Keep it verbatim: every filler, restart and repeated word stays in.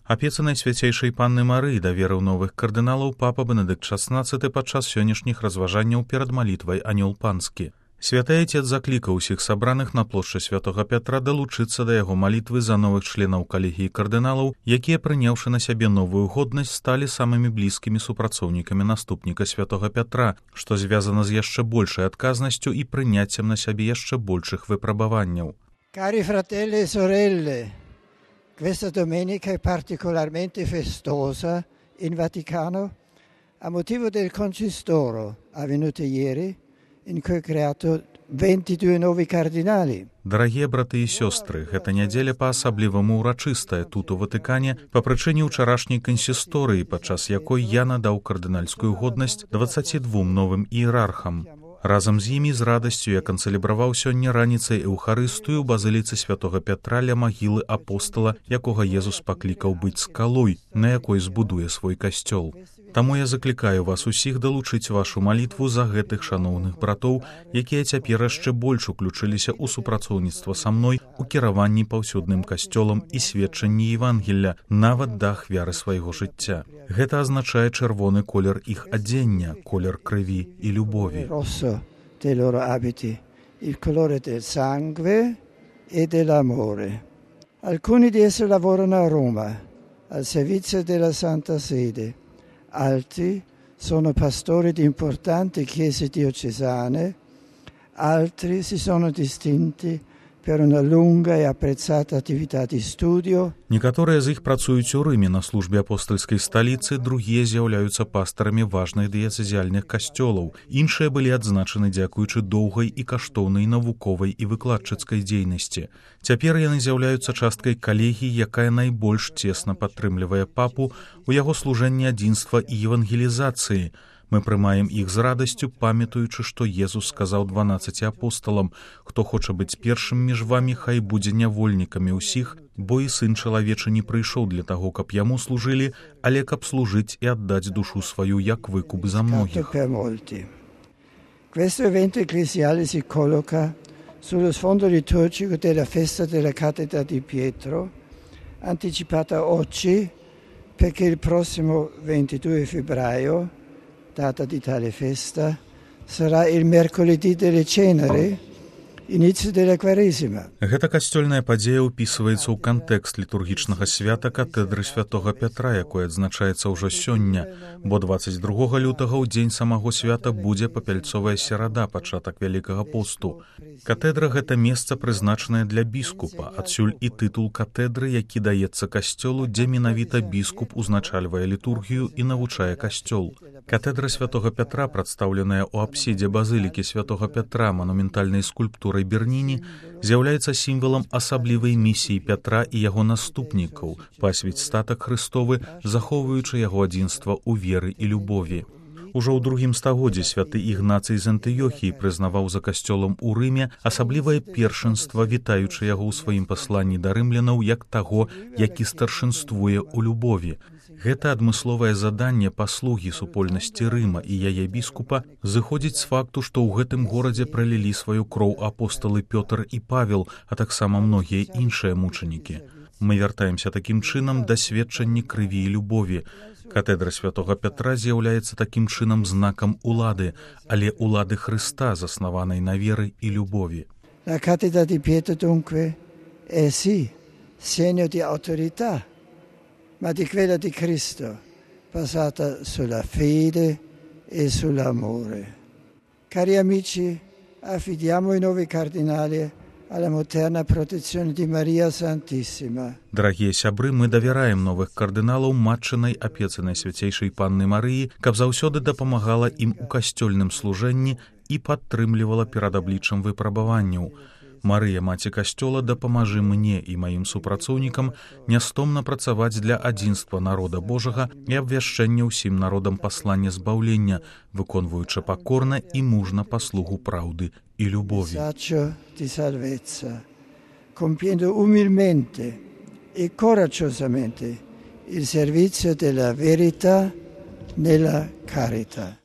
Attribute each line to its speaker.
Speaker 1: Апецы Найсвяцейшай Панны Марыі даверыў новых кардыналаў папа Бенедыкт шаснаццаты падчас сённяшніх разважанняў перад малітвай Анёл Панскі. Святы Айцец заклікаў усіх сабраных на плошчы Святога Пятра далучыцца да яго малітвы за новых членаў калегіі кардыналаў, якія, прыняўшы на сябе новую годнасць, сталі самымі блізкімі супрацоўнікамі наступніка Святога Пятра, што звязана з яшчэ большай адказнасцю і прыняццем на сябе яшчэ большых выпрабаванняў.
Speaker 2: Cari fratelli e sorelle, questa domenica è particolarmente festosa in Vaticano a motivo del concistoro avvenuto ieri, in cui è creato ventidue nuovi cardinali.
Speaker 1: Дарагія браты і сёстры, гэта нядзеля па-асабліваму ўрачыстая тут у Ватыкане па прычыне ўчарашняй кансісторыі, падчас якой я надаў кардынальскую годнасць дваццаці двум новым іерархам. Разам з імі з радасцю я канцэлебраваў сёння раніцай эўхарыстыю ў базыліцы Святога Пятра ля магілы апостала, якога Езус паклікаў быць скалой, на якой збудуе свой касцёл. Таму я заклікаю вас усіх далучыць вашу малітву за гэтых шаноўных братоў, якія цяпер яшчэ больш уключыліся ў супрацоўніцтва са мной у кіраванні паўсюдным касцёлам і сведчанні Евангелля, нават да ахвяры свайго жыцця. Гэта азначае чырвоны колер іх адзення, колер крыві і любові.
Speaker 2: Rosso dei loro abiti, il colore del sangue e dell'amore. Alcuni di essi lavorano a Roma, al servizio della Santa Sede. Altri sono pastori di importanti chiese diocesane, altri si sono distinti per una lunga e apprezzata attività di studio.
Speaker 1: Некаторыя з іх працуюць у Рыме на службе апостальскай сталіцы, другія з'яўляюцца пастарамі важных дыяцэзіяльных касцёлаў. Іншыя былі адзначаны дзякуючы доўгай і каштоўнай навуковай і выкладчыцкай дзейнасці. Цяпер яны з'яўляюцца часткай калегіі, якая найбольш цесна падтрымлівае папу у яго служэнні адзінства і евангелізацыі. Мы прымаем іх з радасцю, памятаючы, што Езус сказаў дванаццаці апосталам: «Хто хоча быць першым між вамі, хай будзе нявольнікамі ўсіх, бо і сын чалавечы не прыйшоў для таго, каб яму служылі, але каб служыць і аддаць душу сваю як выкуп за многіх».
Speaker 2: Questo evento ecclesiale si colloca sullo sfondo liturgico della festa della cattedra di Pietro, anticipata oggi perché il prossimo ventidue febbraio, data di tale festa, sarà il mercoledì delle ceneri, inizio della Quaresima.
Speaker 1: Гэта касцёльная падзея ўпісваецца ў кантэкст літургічнага свята катэдры Святога Пятра, якое адзначаецца ўжо сёння, бо дваццаць другога лютага ў дзень самого свята будзе папяльцовая серада, пачатак Вялікага посту. Катэдра — гэта месца, прызначанае для біскупа, адсюль і тытул катэдры, які даецца касцёлу, дзе менавіта біскуп узначальвае літургію і навучае касцёл. Катэдра Святога Пятра, прадстаўленая ў апсідзе базылікі Святога Пятра манументальнай скульптурай Берніні, з'яўляецца сімвалам асаблівай місіі Пятра і яго наступнікаў пасвіць статак Христовы, захоўваючы яго адзінства ў веры і любові. Ужо ў другім стагоддзі святы Ігнацый з Антыёхіі прызнаваў за касцёлам у Рыме асаблівае першынства, вітаючы яго ў сваім пасланні да рымлянаў як таго, які старшынствуе ў любові. Гэта адмысловае заданне паслугі супольнасці Рыма і яе біскупа зыходзіць з факту, што ў гэтым горадзе пралілі сваю кроў апосталы Пётр і Павел, а таксама многія іншыя мучанікі. Мы вяртаемся такім чынам да сведчання крыві і любові. Катэдра Святога Пятра з'яўляецца такім чынам знакам улады, але улады Христа, заснаванай на веры і любові.
Speaker 2: La cattedra di Pietro dunque è sì segno di autorità, ma di quella di Cristo, basata sulla fede e sull'amore. Cari amici, affidiamo i nuovi cardinali alla materna protezione di Maria Santissima.
Speaker 1: Дарагія сябры, мы давяраем новых кардыналаў матчынай апецы Найсвяцейшай Панны Марыі, каб заўсёды дапамагала ім у касцёльным служэнні і падтрымлівала перад абліччам выпрабаванняў. Марыя, маці касцёла, дапамажы мне і маім супрацоўнікам нястомна працаваць для адзінства народа Божага і абвяшчэння ўсім народам паслання збаўлення, выконваючы пакорна і мужна паслугу праўды і любові.
Speaker 2: Di salvezza, compiendo umilmente e coraggiosamente il servizio della verità nella carità.